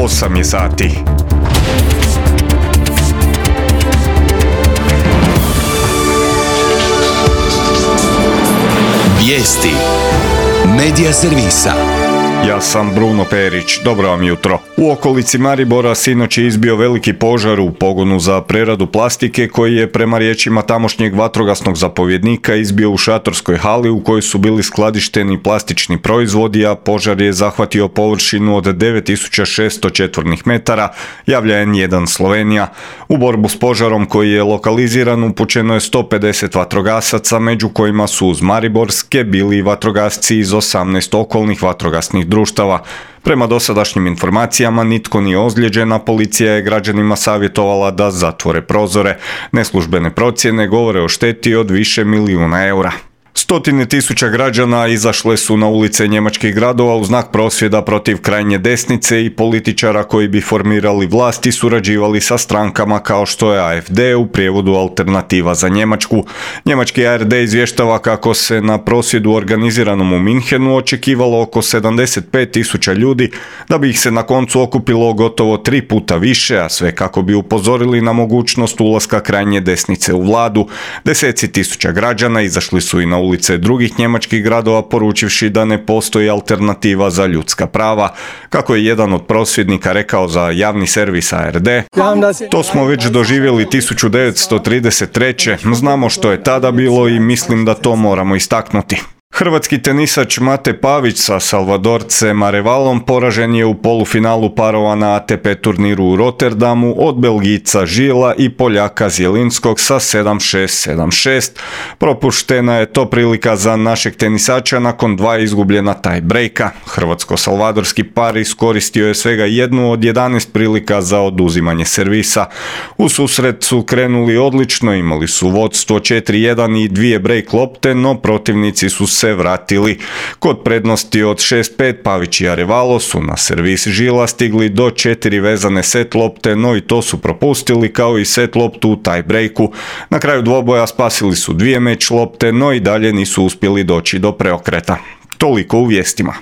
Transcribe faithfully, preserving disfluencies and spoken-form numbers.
osam je sati. Vijesti Medija servisa. Ja sam Bruno Perić, dobro vam jutro. U okolici Maribora sinoć je izbio veliki požar u pogonu za preradu plastike koji je prema riječima tamošnjeg vatrogasnog zapovjednika izbio u šatorskoj hali u kojoj su bili skladišteni plastični proizvodi, a požar je zahvatio površinu od devet tisuća šesto četvornih metara, javlja en jedan Slovenija. U borbu s požarom koji je lokaliziran upućeno je sto pedeset vatrogasaca, među kojima su uz mariborske bili vatrogasci iz osamnaest okolnih vatrogasnih društava. Prema dosadašnjim informacijama nitko nije ozlijeđen, a policija je građanima savjetovala da zatvore prozore. Neslužbene procjene govore o šteti od više milijuna eura. Stotine tisuća građana izašle su na ulice njemačkih gradova u znak prosvjeda protiv krajnje desnice i političara koji bi formirali vlast i surađivali sa strankama kao što je a ef de, u prijevodu Alternativa za Njemačku. Njemački a er de izvještava kako se na prosvjedu organiziranom u Minhenu očekivalo oko sedamdeset pet tisuća ljudi, da bi ih se na koncu okupilo gotovo tri puta više, a sve kako bi upozorili na mogućnost ulaska krajnje desnice u vladu. Deseci tisuća građana izašli su i na ulice drugih njemačkih gradova poručivši da ne postoji alternativa za ljudska prava. Kako je jedan od prosvjednika rekao za javni servis a er de, to smo već doživjeli tisuću devetsto trideset treće. Znamo što je tada bilo i mislim da to moramo istaknuti. Hrvatski tenisač Mate Pavić sa Salvadorcem Arevalom poražen je u polufinalu parova na a te pe turniru u Rotterdamu od Belgijca Žila i Poljaka Zjelinskog sa sedam šest sedam šest. Propuštena je to prilika za našeg tenisača nakon dva izgubljena taj breaka. Hrvatsko-salvadorski par iskoristio je svega jednu od jedanaest prilika za oduzimanje servisa. U susret su krenuli odlično, imali su vodstvo četiri jedan i dvije break lopte, no protivnici su se vratili. Kod prednosti od šest pet Pavić i Arevalo su na servis Žila stigli do četiri vezane set lopte, no i to su propustili kao i set loptu u tie breaku. Na kraju dvoboja spasili su dvije meč lopte, no i dalje nisu uspjeli doći do preokreta. Toliko u vijestima.